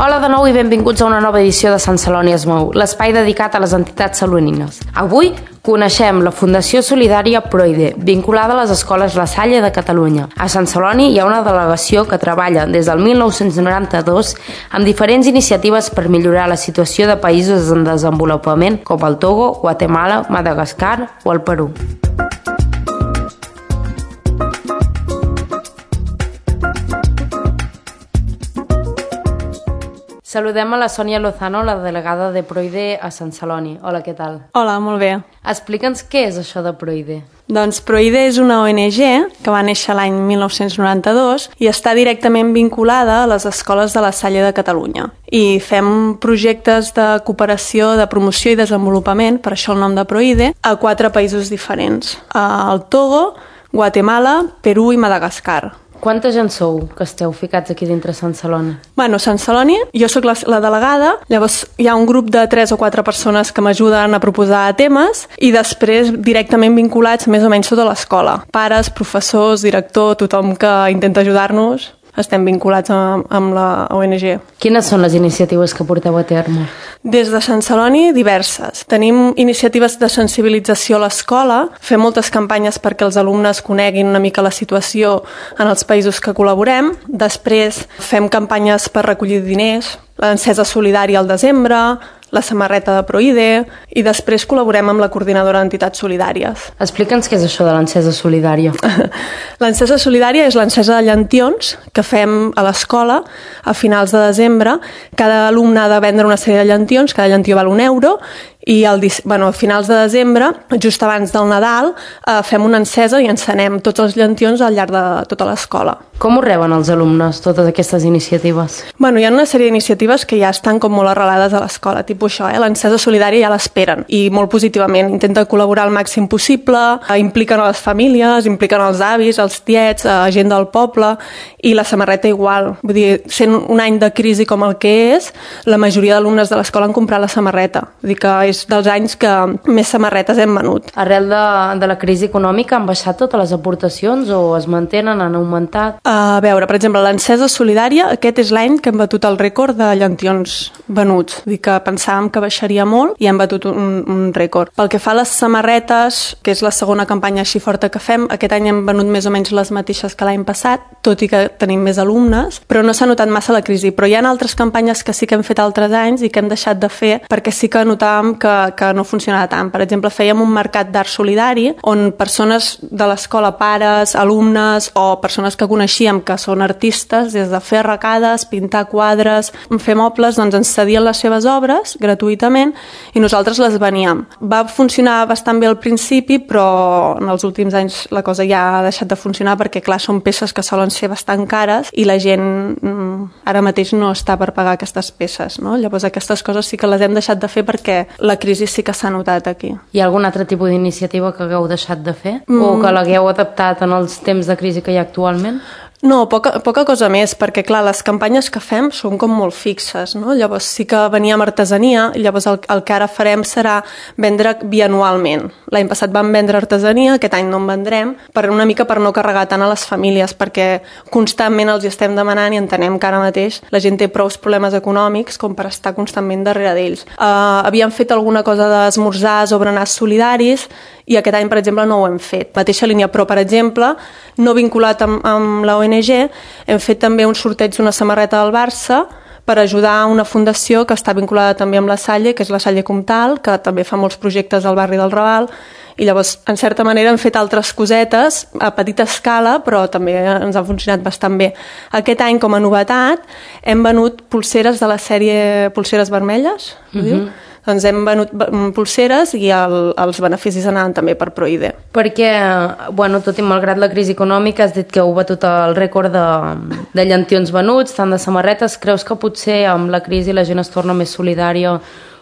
Hola de nou i benvinguts a una nova edició de Sant Celoni es mou, l'espai dedicat a les entitats salonines. Avui coneixem la Fundació Solidària Proide, vinculada a les escoles La Salle de Catalunya. A Sant Celoni hi ha una delegació que treballa des del 1992 amb diferents iniciatives per millorar la situació de països en desenvolupament com el Togo, Guatemala, Madagascar o el Perú. Saludem a la Sònia Lozano, la delegada de Proide a Sant Celoni. Hola, què tal? Hola, molt bé. Explica'ns què és això de Proide. Doncs Proide és una ONG que va néixer l'any 1992 i està directament vinculada a les escoles de La Salle de Catalunya. I fem projectes de cooperació, de promoció i desenvolupament, per això el nom de Proide, a 4 països diferents. El Togo, Guatemala, Perú i Madagascar. Quanta gent sou que esteu ficats aquí dintre Sant Celoni? Bueno, Sant Celoni, jo sóc la delegada, llavors hi ha un grup de 3 o 4 persones que m'ajuden a proposar temes i després directament vinculats més o menys tota l'escola. Pares, professors, director, tothom que intenta ajudar-nos, estem vinculats amb la ONG. Quines són les iniciatives que porteu a terme? Des de Sant Celoni, diverses. Tenim iniciatives de sensibilització a l'escola, fem moltes campanyes perquè els alumnes coneguin una mica la situació en els països que col·laborem. Després fem campanyes per recollir diners, l'encesa solidària al desembre, la samarreta de Proide i després col·laborem amb la coordinadora d'entitats solidàries. Explica'ns què és això de l'encesa solidària. L'encesa solidària és l'encesa de llentions que fem a l'escola a finals de desembre. Cada alumne ha de vendre una sèrie de llentions, cada llentiu val €1 i a finals de desembre, just abans del Nadal, fem una encesa i encenem tots els llentions al llarg de tota l'escola. Com ho reben els alumnes, totes aquestes iniciatives? Hi ha una sèrie d'iniciatives que ja estan com molt arrelades a l'escola, tipus això, l'encesa solidària ja l'esperen, i molt positivament. Intenta col·laborar al màxim possible, impliquen a les famílies, impliquen els avis, els tiets, gent del poble, i la samarreta igual. Vull dir, sent un any de crisi com el que és, la majoria d'alumnes de l'escola han comprat la samarreta. Vull dir que és dels anys que més samarretes hem venut. Arrel de la crisi econòmica han baixat totes les aportacions o es mantenen, han augmentat? A veure, per exemple, l'encesa solidària, aquest és l'any que hem batut el rècord de llentions venuts. Vull dir que pensàvem que baixaria molt i hem batut un rècord. Pel que fa a les samarretes, que és la segona campanya així forta que fem, aquest any hem venut més o menys les mateixes que l'any passat, tot i que tenim més alumnes, però no s'ha notat massa la crisi. Però hi ha altres campanyes que sí que hem fet altres anys i que hem deixat de fer perquè sí que notàvem que no funcionava tant. Per exemple, fèiem un mercat d'art solidari on persones de l'escola, pares, alumnes o persones que coneixíem que són artistes, des de fer arracades, pintar quadres, fer mobles, doncs ens cedien les seves obres gratuïtament i nosaltres les veníem. Va funcionar bastant bé al principi, però en els últims anys la cosa ja ha deixat de funcionar perquè, clar, són peces que solen ser bastant cares i la gent ara mateix no està per pagar aquestes peces, no? Llavors aquestes coses sí que les hem deixat de fer perquè la crisi sí que s'ha notat aquí. Hi ha algun altre tipus d'iniciativa que hagueu deixat de fer? O que l'hagueu adaptat en els temps de crisi que hi ha actualment? No, poca cosa més, perquè clar, les campanyes que fem són com molt fixes, no? Llavors sí que veníem artesania, llavors el que ara farem serà vendre bianualment. L'any passat vam vendre artesania, aquest any no en vendrem, una mica per no carregar tant a les famílies, perquè constantment els hi estem demanant i entenem que ara mateix la gent té prou problemes econòmics com per estar constantment darrere d'ells. Havíem fet alguna cosa d'esmorzars o berenars solidaris i aquest any, per exemple, no ho hem fet. Mateixa línia, però, per exemple, no vinculat amb la ONG, hem fet també un sorteig d'una samarreta del Barça per ajudar a una fundació que està vinculada també amb la Salle, que és la Salle Comtal, que també fa molts projectes al barri del Raval, i llavors, en certa manera, hem fet altres cosetes a petita escala, però també ens ha funcionat bastant bé. Aquest any, com a novetat, hem venut pulseres de la sèrie Pulseres Vermelles, doncs hem venut pulseres i els beneficis anaven també per Proide. Perquè, tot i malgrat la crisi econòmica, has dit que heu batut el rècord de llentions venuts, tant de samarretes. Creus que potser amb la crisi la gent es torna més solidària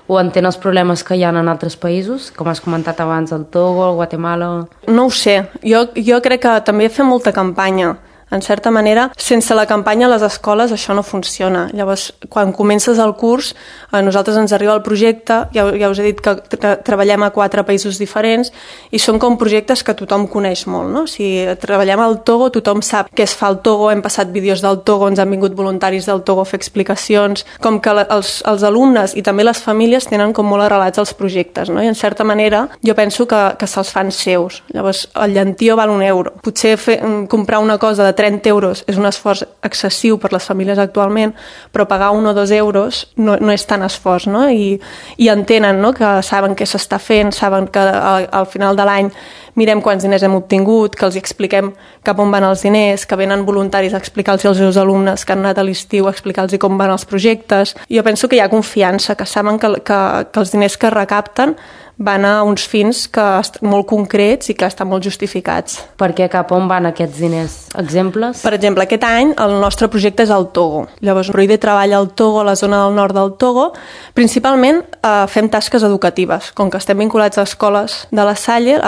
o entén els problemes que hi ha en altres països, com has comentat abans, el Togo, el Guatemala? No ho sé. Jo crec que també fem molta campanya. En certa manera, sense la campanya a les escoles això no funciona. Llavors, quan comences el curs, a nosaltres ens arriba el projecte, ja us he dit que treballem a 4 països diferents i són com projectes que tothom coneix molt, no? Si treballem al Togo, tothom sap què es fa al Togo, hem passat vídeos del Togo, ens han vingut voluntaris del Togo a fer explicacions, com que els alumnes i també les famílies tenen com molt arrelats els projectes, no? I en certa manera jo penso que se'ls fan seus. Llavors, el llentío val €1. Potser comprar una cosa de 30 euros és un esforç excessiu per les famílies actualment, però pagar 1 o 2 euros no és tan esforç, no? I entenen, no? Que saben què s'està fent, saben que al final de l'any mirem quants diners hem obtingut, que els expliquem cap on van els diners, que venen voluntaris a explicar-los als seus alumnes que han anat a l'estiu a explicar-los com van els projectes. Jo penso que hi ha confiança, que saben que els diners que recapten van a uns fins molt concrets i que estan molt justificats. Per què? Cap on van aquests diners? Exemples? Per exemple, aquest any el nostre projecte és al Togo. Llavors, Proide treballa al Togo, a la zona del nord del Togo. Principalment fem tasques educatives. Com que estem vinculats a escoles de la Salle,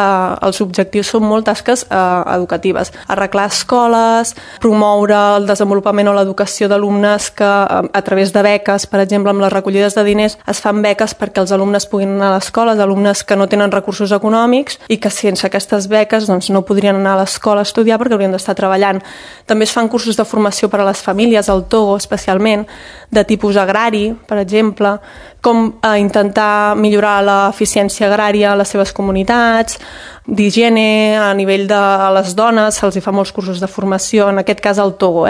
els objectius són molt tasques educatives. Arreglar escoles, promoure el desenvolupament o l'educació d'alumnes que a través de beques, per exemple, amb les recollides de diners, es fan beques perquè els alumnes puguin anar a l'escola, alumnes que no tenen recursos econòmics i que sense aquestes beques doncs, no podrien anar a l'escola a estudiar perquè haurien d'estar treballant. També es fan cursos de formació per a les famílies, al Togo especialment, de tipus agrari, per exemple, com intentar millorar l'eficiència agrària a les seves comunitats, d'higiene, a nivell de les dones, se'ls fa molts cursos de formació, en aquest cas al Togo.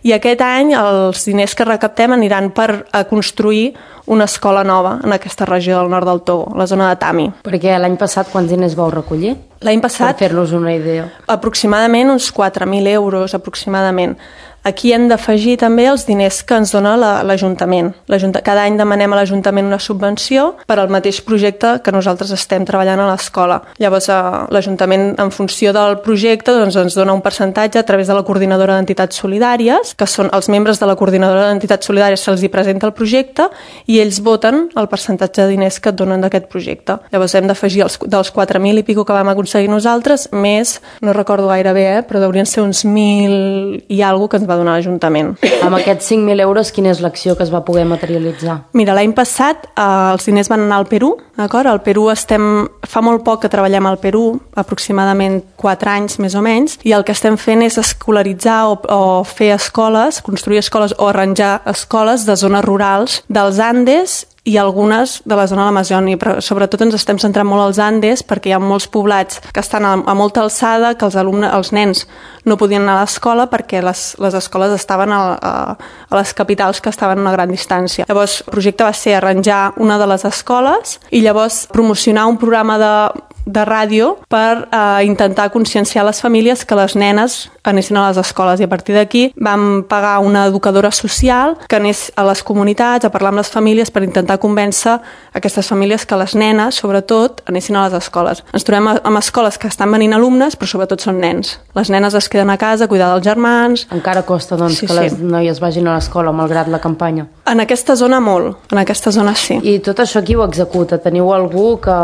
I aquest any els diners que recaptem aniran per construir una escola nova en aquesta regió del nord del Togo, la zona de Tami. Perquè l'any passat quants diners vau recollir? L'any passat... Per fer-nos una idea. Aproximadament uns 4.000 euros, aproximadament. Aquí hem d'afegir també els diners que ens dona l'Ajuntament. Cada any demanem a l'Ajuntament una subvenció per al mateix projecte que nosaltres estem treballant a l'escola. Llavors, l'Ajuntament, en funció del projecte, doncs, ens dona un percentatge a través de la Coordinadora d'Entitats Solidàries, que són els membres de la Coordinadora d'Entitats Solidàries, se'ls hi presenta el projecte i ells voten el percentatge de diners que et donen d'aquest projecte. Llavors, hem d'afegir dels 4.000 i pico que vam aconseguir nosaltres, més, no recordo gaire bé, però deurien ser uns 1.000 i alguna que ens va donar l'Ajuntament. Amb aquests 5.000 euros, quina és l'acció que es va poder materialitzar? Mira, l'any passat els diners van anar al Perú, d'acord? Al Perú fa molt poc que treballem al Perú, aproximadament 4 anys més o menys, i el que estem fent és escolaritzar o fer escoles, construir escoles o arranjar escoles de zones rurals dels Andes i algunes de la zona de l'Amazònia, però sobretot ens estem centrant molt als Andes perquè hi ha molts poblats que estan a molta alçada, que els nens no podien anar a l'escola perquè les escoles estaven a les capitals que estaven a una gran distància. Llavors, el projecte va ser arranjar una de les escoles i llavors promocionar un programa de ràdio per intentar conscienciar les famílies que les nenes anessin a les escoles, i a partir d'aquí vam pagar una educadora social que anés a les comunitats a parlar amb les famílies per intentar convèncer aquestes famílies que les nenes, sobretot, anessin a les escoles. Ens trobem amb escoles que estan venint alumnes, però sobretot són nens. Les nenes es queden a casa a cuidar dels germans. Encara costa, doncs, que les noies vagin a l'escola, malgrat la campanya. En aquesta zona molt, en aquesta zona sí. I tot això qui ho executa? Teniu algú que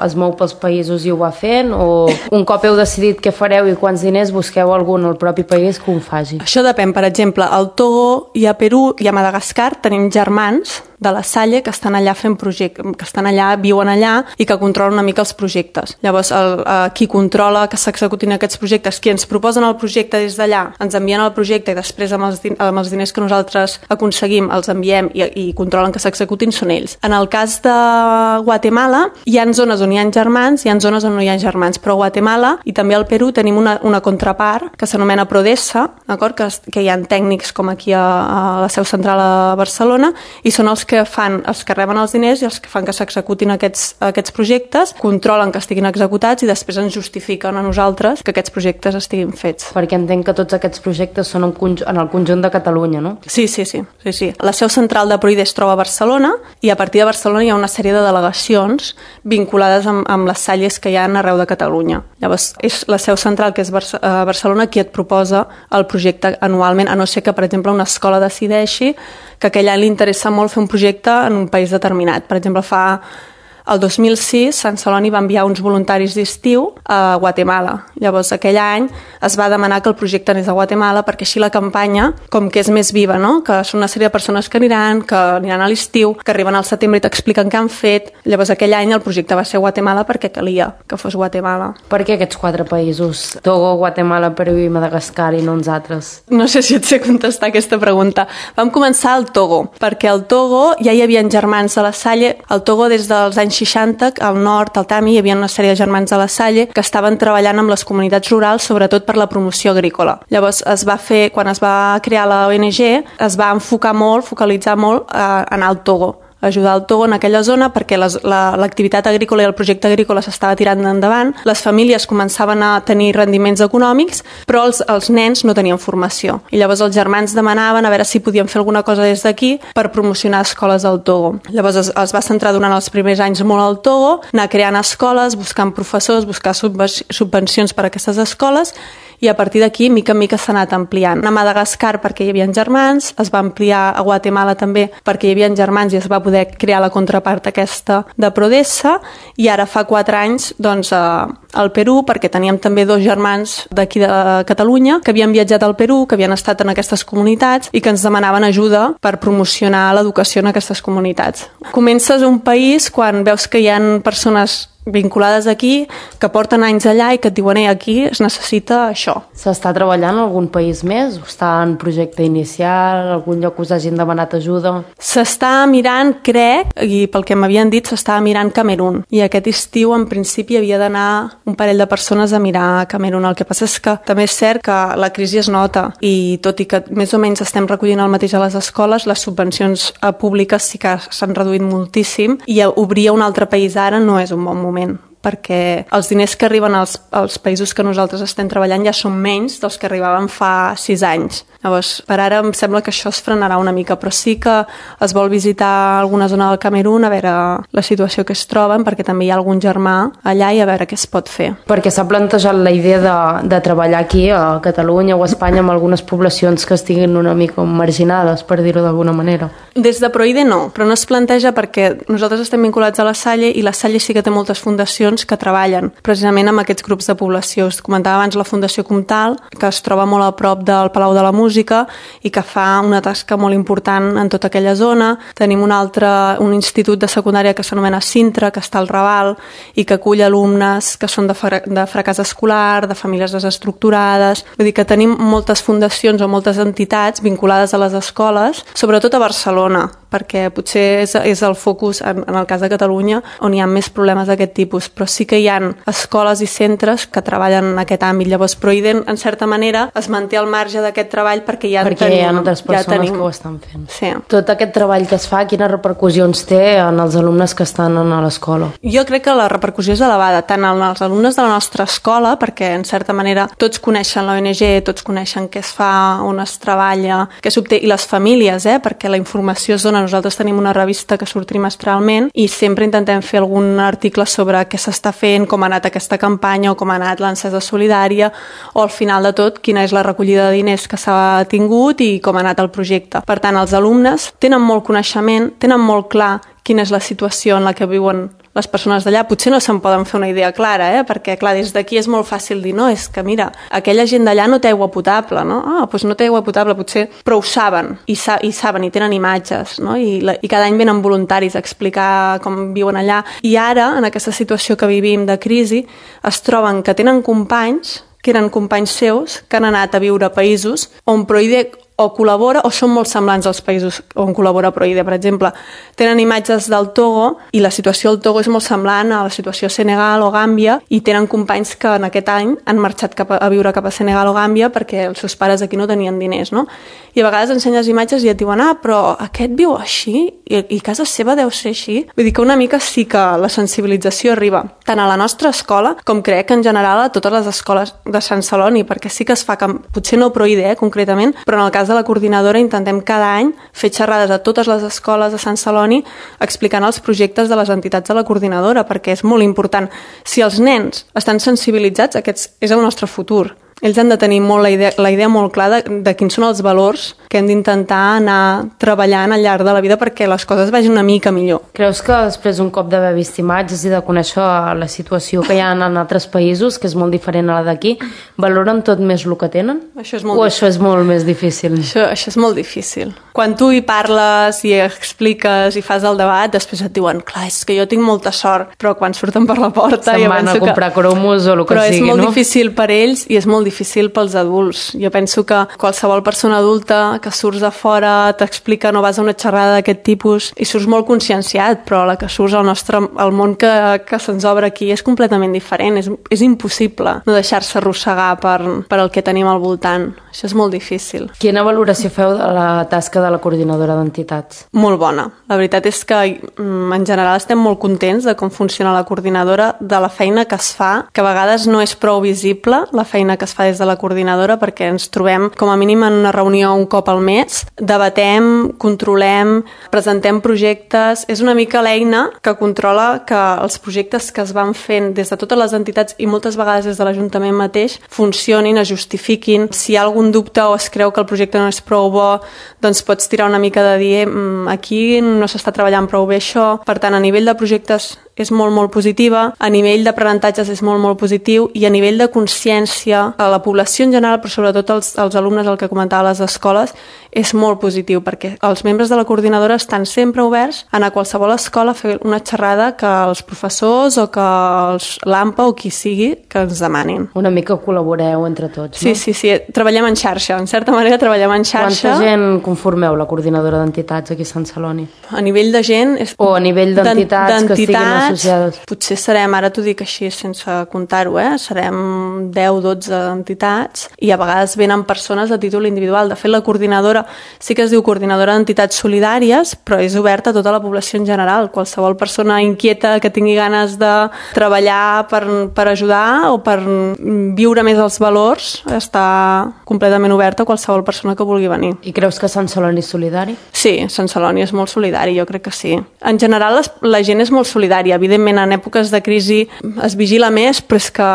es mou pels països i ho va fent? O un cop heu decidit què fareu i quants diners, busqueu algun al propi país que ho faci? Això depèn. Per exemple, al Togo i a Perú i a Madagascar tenim germans de la Salle que estan allà fent projectes, que estan allà, viuen allà i que controlen una mica els projectes. Llavors, qui controla que s'executin aquests projectes, qui ens proposen el projecte des d'allà, ens envien el projecte i després amb els diners que nosaltres aconseguim els enviem i controlen que s'executin, són ells. En el cas de Guatemala, hi ha zones on hi ha germans, hi ha zones on no hi ha germans, però a Guatemala i també al Perú tenim una contrapart que s'anomena Prodesa, d'acord? Que hi ha tècnics com aquí a la seu central a Barcelona i són els que reben els diners i els que fan que s'executin aquests projectes, controlen que estiguin executats i després ens justifiquen a nosaltres que aquests projectes estiguin fets. Perquè entenc que tots aquests projectes són en el conjunt de Catalunya, no? Sí. La seu central de Proide es troba a Barcelona i a partir de Barcelona hi ha una sèrie de delegacions vinculades amb les salles que hi ha arreu de Catalunya. Llavors, és la seu central, que és a Barcelona, qui et proposa el projecte anualment, a no ser que, per exemple, una escola decideixi que aquell any li interessa molt fer un projecte en un país determinat. Per exemple, fa el 2006 Sant Celoni va enviar uns voluntaris d'estiu a Guatemala. Llavors, aquell any es va demanar que el projecte anés a Guatemala perquè així la campanya, com que és més viva, no? Que són una sèrie de persones que aniran a l'estiu, que arriben al setembre i t'expliquen què han fet. Llavors, aquell any el projecte va ser Guatemala perquè calia que fos Guatemala. Per què aquests 4 països? Togo, Guatemala, Perú i Madagascar i no uns altres? No sé si et sé contestar aquesta pregunta. Vam començar al Togo, perquè al Togo ja hi havia germans de la Salle. Al Togo, des dels anys 60, al nord, al Tami, hi havia una sèrie de germans de la Salle que estaven treballant amb les comunitats rurals, sobretot per la promoció agrícola. Llavors, quan es va crear la ONG, es va enfocar molt, focalitzar molt a anar al Togo, ajudar el Togo en aquella zona perquè l'activitat agrícola i el projecte agrícola s'estava tirant endavant, les famílies començaven a tenir rendiments econòmics, però els nens no tenien formació. I llavors els germans demanaven a veure si podien fer alguna cosa des d'aquí per promocionar escoles al Togo. Llavors es va centrar durant els primers anys molt al Togo, anar creant escoles, buscant professors, buscar subvencions per a aquestes escoles, i a partir d'aquí, mica en mica, s'ha anat ampliant. A Madagascar perquè hi havia germans, es va ampliar a Guatemala també perquè hi havia germans i es va poder crear la contrapart aquesta de Prodessa, i ara fa 4 anys doncs, al Perú, perquè teníem també 2 germans d'aquí de Catalunya que havien viatjat al Perú, que havien estat en aquestes comunitats i que ens demanaven ajuda per promocionar l'educació en aquestes comunitats. Comences un país quan veus que hi ha persones vinculades aquí, que porten anys allà i que et diuen aquí es necessita això. S'està treballant en algun país més? Està en projecte inicial? Algun lloc us hagin demanat ajuda? S'està mirant, crec, i pel que m'havien dit, s'estava mirant Camerún. I aquest estiu, en principi, havia d'anar un parell de persones a mirar Camerún. El que passa és que també és cert que la crisi es nota i tot i que més o menys estem recollint el mateix a les escoles, les subvencions públiques sí que s'han reduït moltíssim i obrir un altre país ara no és un bon moment, perquè els diners que arriben als països que nosaltres estem treballant ja són menys dels que arribaven fa 6 anys. Llavors, per ara em sembla que això es frenarà una mica, però sí que es vol visitar alguna zona del Camerún a veure la situació que es troben, perquè també hi ha algun germà allà i a veure què es pot fer. Perquè s'ha plantejat la idea de treballar aquí a Catalunya o a Espanya amb algunes poblacions que estiguin una mica marginades, per dir-ho d'alguna manera. Des de Proide no, però no es planteja perquè nosaltres estem vinculats a la Salle i la Salle sí que té moltes fundacions que treballen precisament amb aquests grups de població. Us comentava abans la Fundació Comtal, que es troba molt a prop del Palau de la Música i que fa una tasca molt important en tota aquella zona. Tenim un institut de secundària que s'anomena Sintra, que està al Raval i que acull alumnes que són de fracàs escolar, de famílies desestructurades. Vull dir que tenim moltes fundacions o moltes entitats vinculades a les escoles, sobretot a Barcelona, perquè potser és el focus, en el cas de Catalunya, on hi ha més problemes d'aquest tipus, però sí que hi ha escoles i centres que treballen en aquest àmbit. Llavors, Proiden, en certa manera, es manté al marge d'aquest treball perquè hi ha altres persones que ho estan fent. Sí. Tot aquest treball que es fa, quines repercussions té en els alumnes que estan a l'escola? Jo crec que la repercussió és elevada, tant en els alumnes de la nostra escola, perquè, en certa manera, tots coneixen l'ONG, tots coneixen què es fa, on es treballa, què s'obté, i les famílies, perquè la informació es dona. Nosaltres tenim una revista que surt trimestralment i sempre intentem fer algun article sobre què s'està fent, com ha anat aquesta campanya o com ha anat l'encesa solidària o al final de tot quina és la recollida de diners que s'ha tingut i com ha anat el projecte. Per tant, els alumnes tenen molt coneixement, tenen molt clar quina és la situació en la que viuen les persones d'allà. Potser no se'n poden fer una idea clara, perquè clar, des d'aquí és molt fàcil dir, no, és que mira, aquella gent d'allà no té aigua potable, no? Doncs no té aigua potable, potser, però ho saben, i saben, i tenen imatges, no? I cada any venen voluntaris a explicar com viuen allà. I ara, en aquesta situació que vivim de crisi, es troben que tenen companys, que eren companys seus, que han anat a viure a països on Proide o col·labora o són molt semblants als països on col·labora Proide. Per exemple, tenen imatges del Togo i la situació al Togo és molt semblant a la situació a Senegal o Gàmbia i tenen companys que en aquest any han marxat a viure cap a Senegal o Gàmbia perquè els seus pares aquí no tenien diners, no? I a vegades ensenyes imatges i et diuen però aquest viu així i casa seva deu ser així. Vull dir que una mica sí que la sensibilització arriba tant a la nostra escola com crec que en general a totes les escoles de Sant Celoni, perquè sí que es fa, potser no Proide concretament, però en el cas de la coordinadora intentem cada any fer xerrades a totes les escoles de Sant Celoni explicant els projectes de les entitats de la coordinadora, perquè és molt important. Si els nens estan sensibilitzats, aquest és el nostre futur. Ells han de tenir molt la idea molt clara de quins són els valors que hem d'intentar anar treballant al llarg de la vida perquè les coses vagin una mica millor. Creus que després un cop d'haver vist imatges i de conèixer la situació que hi ha en altres països, que és molt diferent a la d'aquí, valoren tot més el que tenen? Això és molt això és molt més difícil? Això és molt difícil. Quan tu hi parles i expliques i fas el debat, després et diuen, clar, és que jo tinc molta sort, però quan surten per la porta... Se'n van a comprar cromos o el que sigui, no? Però és molt difícil per ells i és molt difícil pels adults. Jo penso que qualsevol persona adulta que surts a fora, t'explica, no vas a una xerrada d'aquest tipus i surts molt conscienciat, però la que surts al món que se'ns obre aquí és completament diferent. És impossible no deixar-se arrossegar per el que tenim al voltant. Això és molt difícil. Quina valoració feu de la tasca de la coordinadora d'entitats? Molt bona. La veritat és que en general estem molt contents de com funciona la coordinadora, de la feina que es fa, que a vegades no és prou visible, la feina que es fa des de la coordinadora, perquè ens trobem com a mínim en una reunió un cop al mes, debatem, controlem, presentem projectes. És una mica l'eina que controla que els projectes que es van fent des de totes les entitats i moltes vegades des de l'Ajuntament mateix funcionin, es justifiquin. Si hi ha algun dubte o es creu que el projecte no és prou bo, doncs pots tirar una mica de dir aquí no s'està treballant prou bé això. Per tant, a nivell de projectes és molt, molt positiva, a nivell d'aprenentatges és molt, molt positiu i a nivell de consciència a la població en general, però sobretot als alumnes, el que comentava a les escoles, és molt positiu perquè els membres de la coordinadora estan sempre oberts a anar a qualsevol escola a fer una xerrada que els professors o que l'AMPA o qui sigui que ens demanin. Una mica col·laboreu entre tots, no? Sí, treballem en xarxa, en certa manera treballem en xarxa. Quanta gent conformeu la coordinadora d'entitats aquí a Sant Celoni? A nivell de gent... O a nivell d'entitats que estiguin associades? Potser serem, ara t'ho dic així sense comptar-ho, serem 10-12 entitats i a vegades venen persones a títol individual. De fet, la coordinadora sí que es diu coordinadora d'entitats solidàries, però és oberta a tota la població en general. Qualsevol persona inquieta que tingui ganes de treballar per ajudar o per viure més els valors està completament oberta a qualsevol persona que vulgui venir. I creus que Sant Celoni és solidari? Sí, Sant Celoni és molt solidari, jo crec que sí. En general la gent és molt solidària. Evidentment, en èpoques de crisi es vigila més, però és que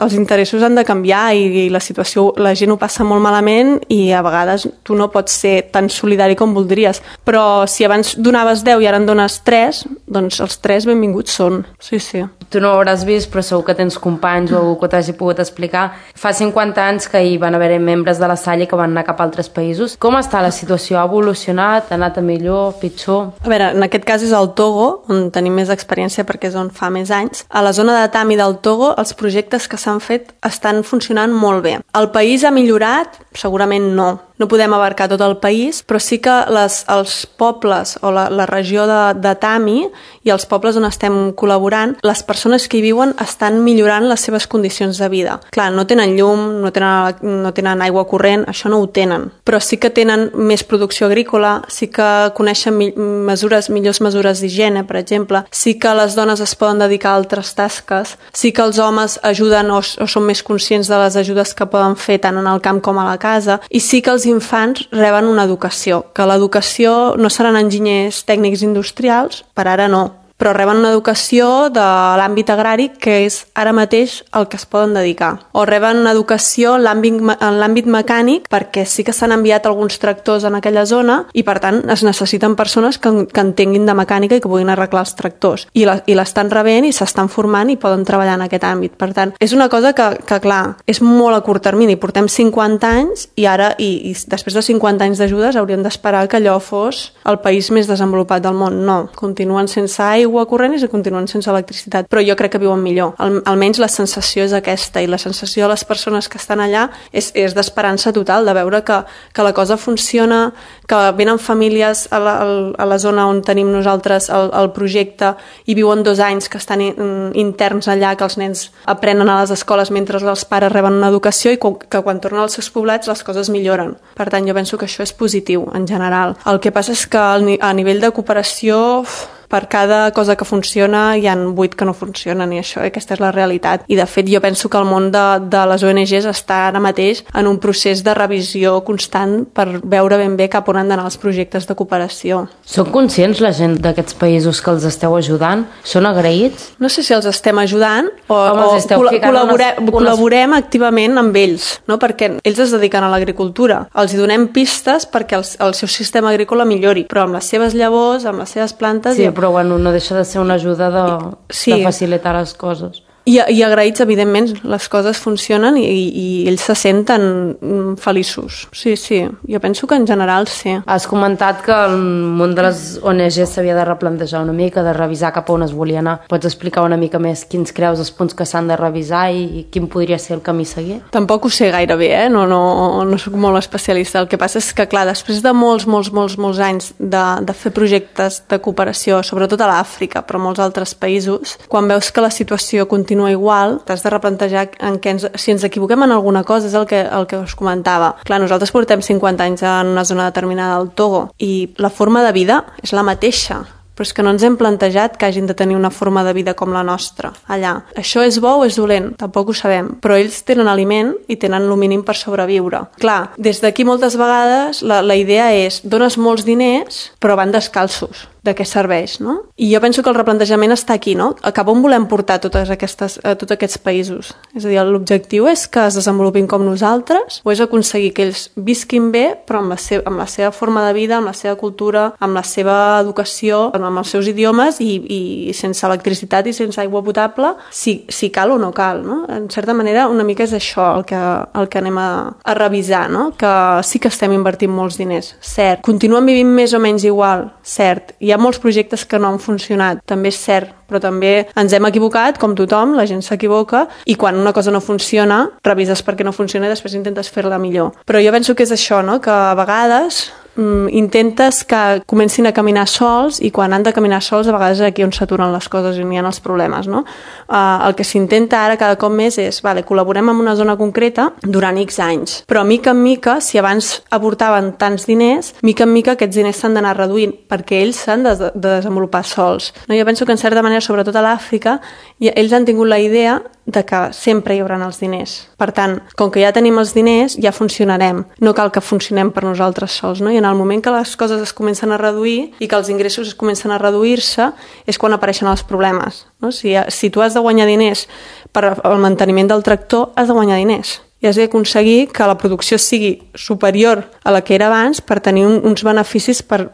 els interessos han de canviar i la situació, la gent ho passa molt malament i a vegades tu no pots ser tan solidari com voldries. Però si abans donaves 10 i ara en dones 3, doncs els 3 benvinguts són. Sí. Tu no ho hauràs vist, però segur que tens companys o algú que t'hagi pogut explicar. Fa 50 anys que hi van haver membres de la Salle que van anar cap a altres països. Com està la situació? Ha evolucionat? Ha anat a millor? Pitjor? A veure, en aquest cas és el Togo, on tenim més experiència perquè és on fa més anys. A la zona de Tami del Togo, els projectes que s'han fet estan funcionant molt bé. El país ha millorat? Segurament no. No podem abarcar tot el país, però sí que els pobles o la regió de Tami i els pobles on estem col·laborant, les persones que hi viuen estan millorant les seves condicions de vida. Clar, no tenen llum, no tenen aigua corrent, això no ho tenen, però sí que tenen més producció agrícola, sí que coneixen millors mesures d'higiene, per exemple, sí que les dones es poden dedicar a altres tasques, sí que els homes ajuden o són més conscients de les ajudes que poden fer tant en el camp com a la casa, i sí que els infants reben una educació, que l'educació no seran enginyers tècnics industrials, per ara no, però reben una educació de l'àmbit agrari que és ara mateix el que es poden dedicar. O reben una educació en l'àmbit mecànic perquè sí que s'han enviat alguns tractors en aquella zona i per tant es necessiten persones que entenguin de mecànica i que puguin arreglar els tractors. I l'estan rebent i s'estan formant i poden treballar en aquest àmbit. Per tant, és una cosa que clar, és molt a curt termini. Portem 50 anys i ara, i després de 50 anys d'ajudes hauríem d'esperar que allò fos el país més desenvolupat del món. No, continuen sense aigua corrent i continuen sense electricitat, però jo crec que viuen millor. Almenys la sensació és aquesta i la sensació de les persones que estan allà és d'esperança total, de veure que la cosa funciona, que venen famílies a la zona on tenim nosaltres el projecte i viuen 2 anys que estan interns allà, que els nens aprenen a les escoles mentre els pares reben una educació i que quan tornen als seus poblats les coses milloren. Per tant, jo penso que això és positiu en general. El que passa és que a nivell de cooperació per cada cosa que funciona hi ha 8 que no funcionen i aquesta és la realitat. I de fet jo penso que el món de les ONGs està ara mateix en un procés de revisió constant per veure ben bé cap on han d'anar els projectes de cooperació. Són conscients la gent d'aquests països que els esteu ajudant? Són agraïts? No sé si els estem ajudant o col·laborem activament amb ells, no? Perquè ells es dediquen a l'agricultura. Els hi donem pistes perquè el seu sistema agrícola millori, però amb les seves llavors, amb les seves plantes... Sí, però bueno, no deixa de ser una ajuda de facilitar les coses. I agraïts, evidentment, les coses funcionen i ells se senten feliços. Sí, jo penso que en general sí. Has comentat que el món de les ONG s'havia de replantejar una mica, de revisar cap a on es volia anar. Pots explicar una mica més quins creus els punts que s'han de revisar i quin podria ser el camí a seguir? Tampoc ho sé gaire bé, no soc molt especialista. El que passa és que, clar, després de molts anys de fer projectes de cooperació, sobretot a l'Àfrica, però a molts altres països, quan veus que la situació continua igual, t'has de replantejar si ens equivoquem en alguna cosa, és el que us comentava. Clar, nosaltres portem 50 anys en una zona determinada del Togo i la forma de vida és la mateixa, però és que no ens hem plantejat que hagin de tenir una forma de vida com la nostra allà. Això és bo o és dolent? Tampoc ho sabem, però ells tenen aliment i tenen el mínim per sobreviure. Clar, des d'aquí moltes vegades la idea és dones molts diners però van descalços. De què serveix, no? I jo penso que el replantejament està aquí, no? Cap on volem portar tots aquests països? És a dir, l'objectiu és que es desenvolupin com nosaltres o és aconseguir que ells visquin bé però amb la seva forma de vida, amb la seva cultura, amb la seva educació, amb els seus idiomes i sense electricitat i sense aigua potable, si cal o no cal, no? En certa manera, una mica és això el que anem a revisar, no? Que sí que estem invertint molts diners, cert. Continuen vivint més o menys igual, cert. Hi ha molts projectes que no han funcionat, també és cert, però també ens hem equivocat, com tothom, la gent s'equivoca, i quan una cosa no funciona, revises per què no funciona i després intentes fer-la millor. Però jo penso que és això, no? Que a vegades intentes que comencin a caminar sols i quan han de caminar sols a vegades és aquí on s'aturen les coses i n'hi ha els problemes, no? El que s'intenta ara cada cop més és col·laborem en una zona concreta durant X anys, però mica en mica, si abans aportaven tants diners, mica en mica aquests diners s'han d'anar reduint perquè ells s'han de desenvolupar sols, no? Jo penso que en certa manera, sobretot a l'Àfrica, ells han tingut la idea de que sempre hi haurà els diners. Per tant, com que ja tenim els diners, ja funcionarem. No cal que funcionem per nosaltres sols, no? I en el moment que les coses es comencen a reduir i que els ingressos es comencen a reduir-se és quan apareixen els problemes, no? Si tu has de guanyar diners per al manteniment del tractor, has de guanyar diners. I has d'aconseguir que la producció sigui superior a la que era abans per tenir uns beneficis per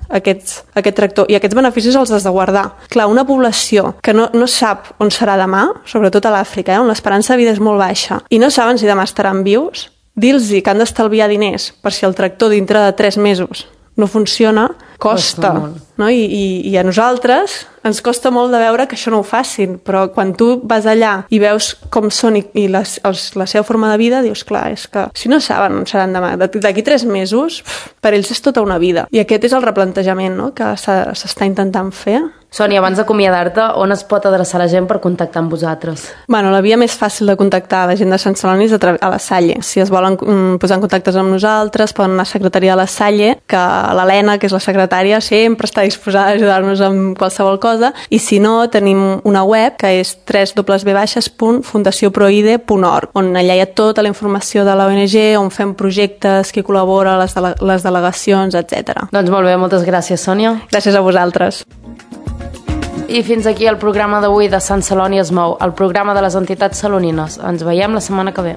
aquest tractor. I aquests beneficis els has de guardar. Clar, una població que no sap on serà demà, sobretot a l'Àfrica, on l'esperança de vida és molt baixa, i no saben si demà estaran vius, dir-los que han d'estalviar diners per si el tractor dintre de 3 mesos no funciona, costa, no? I a nosaltres ens costa molt de veure que això no ho facin, però quan tu vas allà i veus com són i la seva forma de vida, dius, clar, és que si no saben on seran demà, d'aquí 3 mesos, per ells és tota una vida. I aquest és el replantejament, no?, que s'està intentant fer. Sònia, abans d'acomiadar-te, on es pot adreçar la gent per contactar amb vosaltres? Bueno, la via més fàcil de contactar la gent de Sant Celoni és a la Salle. Si es volen posar en contacte amb nosaltres, poden anar a la secretaria de la Salle, que l'Helena, que és la secretària, sempre està disposada a ajudar-nos amb qualsevol cosa, i si no, tenim una web que és www.fundacioproide.org, on allà hi ha tota la informació de l'ONG, on fem projectes, qui col·labora, les delegacions, etc. Doncs molt bé, moltes gràcies, Sònia. Gràcies a vosaltres. I fins aquí el programa d'avui de Sant Celoni es mou, el programa de les entitats salonines. Ens veiem la setmana que ve.